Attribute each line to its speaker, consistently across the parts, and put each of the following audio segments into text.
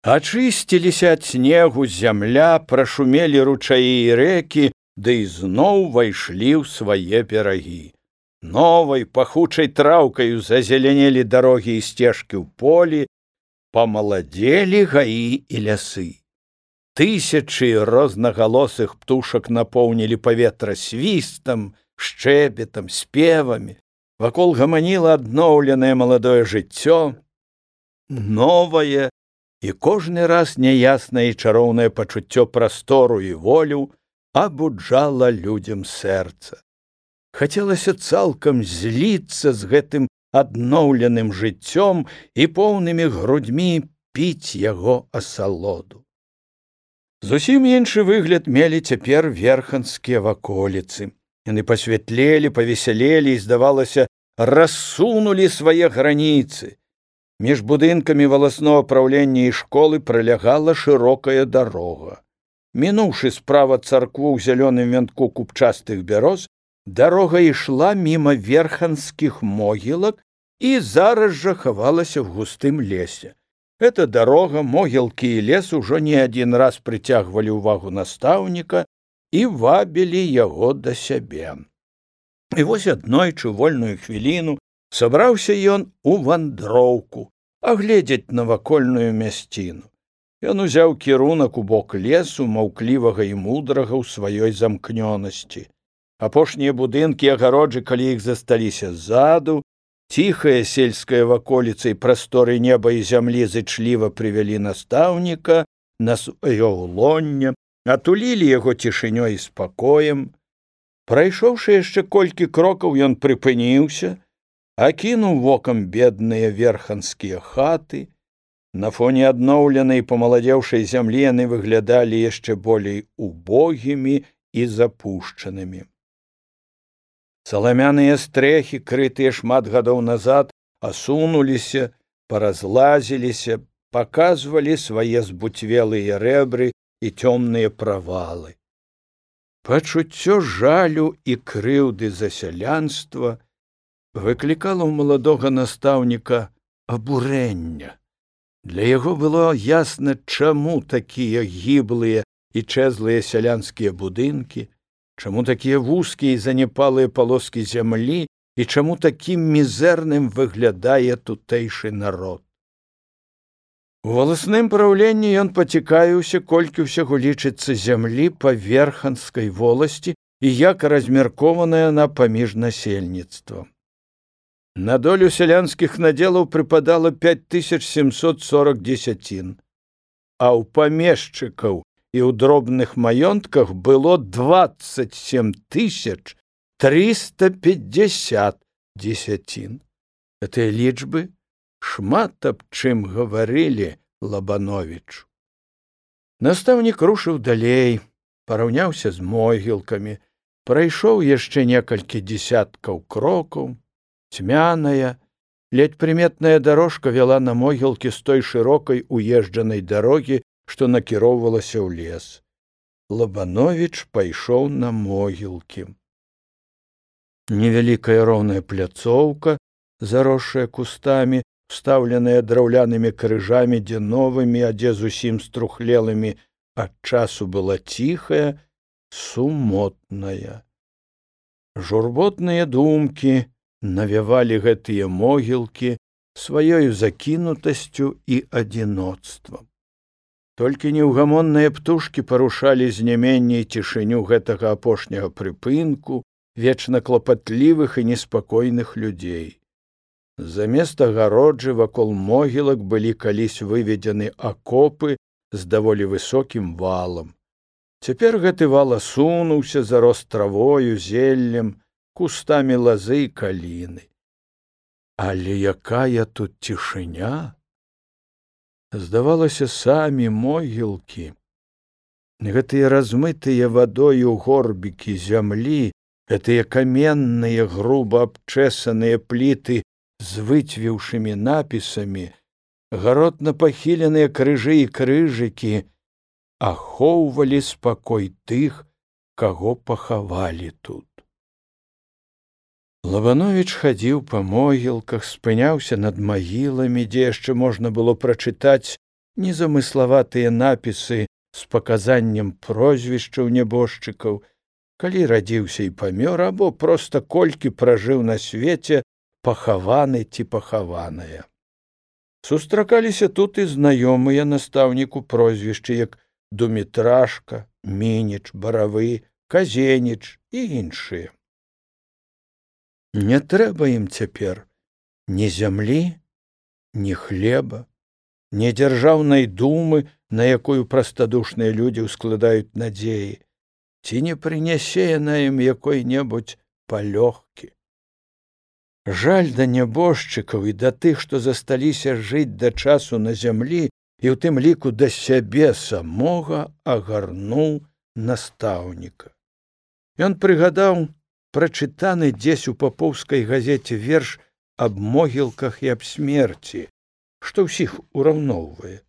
Speaker 1: Ачысціліся ад снегу зямля, прашумелі ручаі і рэкі, ды ізноў вайшлі ў свае берагі. Новай пахучай траўкаю зазелянелі дарогі і сцежкі ў полі, памаладзелі гаі і лясы. Тысячы рознагалосых птушак напоўнілі паветра свістам, шчэбетам, спевамі. Вакол гаманіла адноўленае маладое жыццё, новае, і кожны раз няяснае і чароўнае пачуццё прастору і волю абуджала людзям сэрца. Хацелася цалкам зліцца з гэтым адноўленым жыццём і поўнымі грудьмі піць яго асалоду. Зусім іншы выгляд мелі цяпер верханскія ваколіцы. Яны пасвятлелі, павесялелі і, здавалася, рассунулі свае граніцы. Між будынкамі валаснога праўлення і школы пролягала шырокая дарога. Мінуўшы справа царкву ў зялёным вянку купчастых бяроз, дарога ішла міма верханскіх могілак і зараз жа хавалася в густым лесе. Эта дарога, могілкі і лес ужо не адзін раз прыцягвалі ўвагу настаўніка і вабілі яго да сябе. І вось аднойчы вольную хвіліну сабраўся ён у вандроўку, агледзець навакольную мясціну. Ён узяў кірунак у бок лесу, маўклівага і мудрага ў сваёй замкнёнасці. Апошнія будынкі агароджы, калі іх засталіся ззаду, ціхая сельская ваколіца і прасторы неба і зямлі зычліва прывялі настаўніка на сваё ўлонне, атулілі яго цішынёй і спакоем. Прайшоўшы яшчэ колькі крокаў, ён прыпыніўся, акінуў вокам бедныя верханскія хаты. На фоне адноўленай і памаладзеўшай зямлі яны выглядалі яшчэ болей убогімі і запушчанымі. Саламяныя стрэхі, крытыя шмат гадоў назад, асунуліся, паразлазіліся, паказвалі свае збуцвелыя рэбры і цёмныя правалы. Пачуццё жалю і крыўды за сялянства выклікала ў маладога настаўніка абурэння. Для яго было ясна, чаму такія гіблыя і чэзлыя сялянскія будынкі, чаму такія вузкія і занепалыя палоскі зямлі і чаму такім мізэрным выглядае тутэйшы народ. У валасным праўленні ён пацікавіўся, колькі ўсяго лічыцца зямлі па верханскай воласці і як размеркованая на паміж насельніцтвам. На долю сялянскіх надзелаў прыпадала 5740 дзесяцін, а ў памешчыкаў і ў дробных маёнтках было 27 350 дзесяцін. Гэтыя лічбы шмат аб чым гаварылі Лабановічу. Настаўнік рушыў далей, параўняўся з могілкамі, прайшоў яшчэ некалькі дзесяткаў крокаў. Цьмяная, ледь прыметная дарожка вяла на могілкі з той шырокай уезджанай дарогі, што накіроўвалася ў лес. Лабановіч пайшоў на могілкі. Невялікая роўная пляцоўка, заросшая кустамі, встаўленая драўлянымі крыжамі, дзе новымі, а дзе зусім струхлелымі ад часу была ціхая, сумотная. Журботныя думкі навявалі гэтыя могілкі сваёю закінутасцю і адзіноцтвам. Толькі неўгамонныя птушкі парушалі знеменне і цішыню гэтага апошняга прыпынку вечна клапатлівых і неспакойных людзей. Замест агароджы вакол могілак былі калісь выведзены акопы з даволі высокім валам. Цяпер гэты вал асунуўся, зарос травою, зеллем, кустамі лазы і каліны. Але якая тут цішыня! Здавалася, самі могілкі, гэтыя размытыя вадою горбікі зямлі, гэтыя каменныя, груба абчэсаныя пліты з выцвеўшымі напісамі, гаротна пахіленыя крыжы і крыжыкі ахоўвалі спакой тых, каго пахавалі тут. Лабановіч хадзіў па могілках, спыняўся над магіламі, дзе яшчэ можна было прачытаць незамыславатыя напісы з паказаннем прозвішчаў нябожчыкаў, калі радзіўся і памёр, або проста колькі пражыў на свеце, пахаваны ці пахаваная. Сустракаліся тут і знаёмыя настаўніку прозвішчы, як Думітрашка, Мініч, Баравы, Казеніч і іншыя. Не трэба ім цяпер ні зямлі, ні хлеба, ні дзяржаўнай думы, на якую прастадушныя людзі ўскладаюць надзеі, ці не прынясе яна ім якой-небудзь палёгкі. Жаль да нябожчыкаў і да тых, што засталіся жыць да часу на зямлі, і ў тым ліку да сябе самога агарнуў настаўніка. Ён прыгадаў прачытаны дзесь у папоўскай газеце верш аб могілках і аб смерці, што ўсіх ураўноўвае.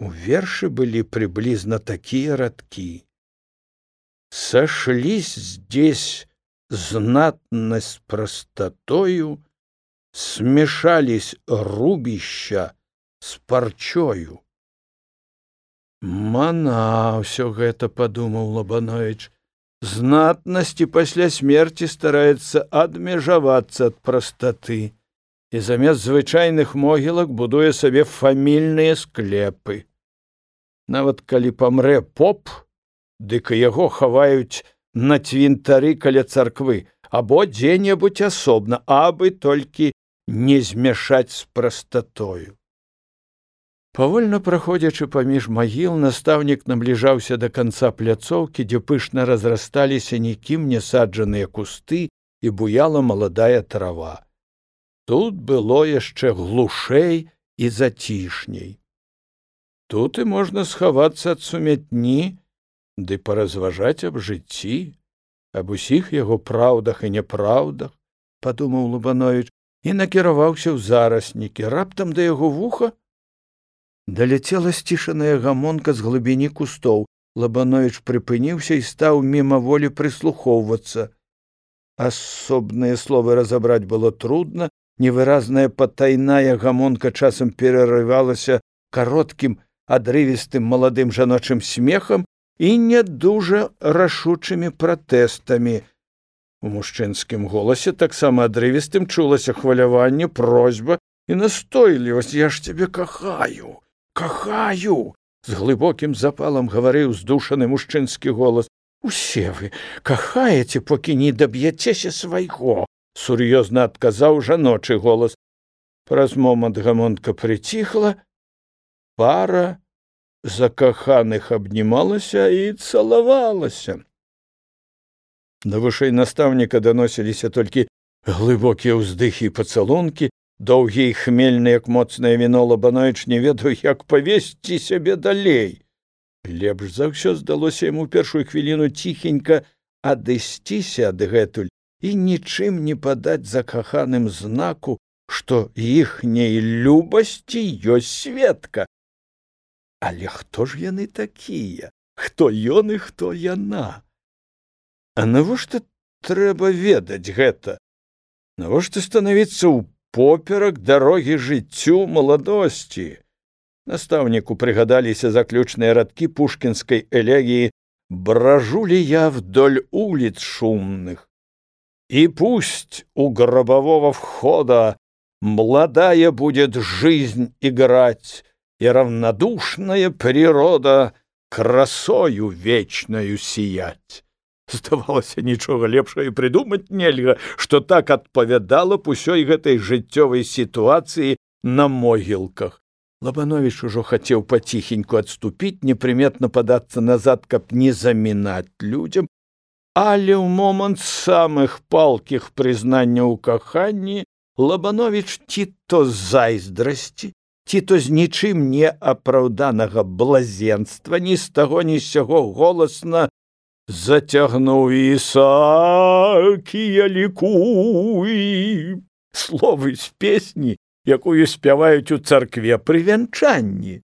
Speaker 1: У вершы былі приблизно такие радки: «Сошлись здесь знатно с простотою, смешались рубища с парчою». «Мана, все гэта», — подумал Лабанович, — «знатности пасля смерти старается адмежавацца от простоты и замест звычайных могілак будуе сабе фамільныя склепы. Нават калі памрэ поп, дык яго хаваюць на цвінтары каля царквы або дзе-небудзь асобна, абы толькі не змяшаць з прастатою». Павольна праходзячы паміж магіл, настаўнік набліжаўся да канца пляцоўкі, дзе пышна разрасталіся нікім не саджаныя кусты і буяла маладая трава. Тут было яшчэ глушэй і зацішней. Тут і можна схавацца ад сумятні ды паразважаць аб жыцці, аб усіх яго праўдах і няпраўдах, падумаў Лабанович і накіраваўся ў зараснікі. Раптам да яго вуха даляцела сцішаная гамонка з глыбіні кустоў. Лабанович прыпыніўся і стаў мімаволі прыслухоўвацца. Асобныя словы разабраць было трудна, невыразная патайная гамонка часам перарывалася кароткім, адрывістым маладым жаночым смехам і не дужа рашучымі пратэстамі. У мужчынскім голасе таксама адрывістым чулася хваляванне, просьба і настойлівасць. «Я ж цябе кахаю, кахаю!» З глыбокім запалам гаварыў здушаны мужчынскі голас. «Усе вы кахаеце, покі не даб'яцеся свайго», — сур'ёзна адказаў жаночы голас. Праз момант гамонка прыціхла, пара закаханых абнімалася і цалавалася. Да вушэй настаўніка даносіліся толькі глыбокія ўздыхі і пацалункі, доўгія і хмельныя, як моцнае віно. Лабанович не ведаў, як павесці сябе далей. Лепш за ўсё здалося яму першую хвіліну ціхенька адысціся адгэтуль і нічым не падаць закаханым знаку, што іхняй любасці ёсць сведка. Але хто ж яны такія? Хто ён і хто яна? А навошта трэба ведаць гэта? Навошта станавіцца ўпоперак дарогі жыццю маладосці? Настаўніку прыгадаліся заключныя радкі пушкінскай элегіі «Брожу ли я вдоль улиц шумных, и пусть у гробового входа молодая будет жизнь играть, и равнодушная природа красою вечною сиять». Здавалася, нічога лепшага прыдумаць нельга, што так адпавядала б усёй гэтай жыццёвай сітуацыі на могілках. Лабанович ужо хацеў паціхеньку адступіць, непрыметна падацца назад, каб не замінаць людзям, але ў момант самых палкіх прызнанняў у каханні Лабанович ці то з зайздрасці, ці то з нічым не апраўданага блазенства ні з таго ні з сяго голасна зацягнуў: «Ісакія лікуй». Словы з песні, якую спяваюць у царкве пры вянчанні.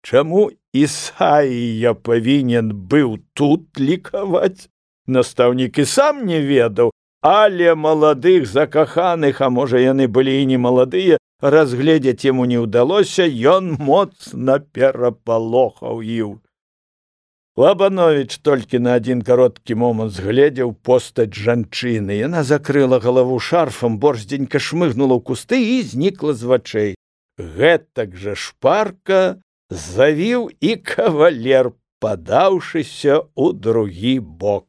Speaker 1: Чаму Ісаія павінен быў тут лікаваць? Настаўнік і сам не ведаў, але маладых закаханых, а можа яны былі і не маладыя, разгледзець яму не ўдалося, ён моцна перапалохаў іх. Лабановіч толькі на адзін кароткі момант згледзеў постаць жанчыны. Яна закрыла галаву шарфам, борздзенька шмыгнула ў кусты і знікла з вачэй. Гэтак жа шпарка завіў і кавалер, падаўшыся ў другі бок.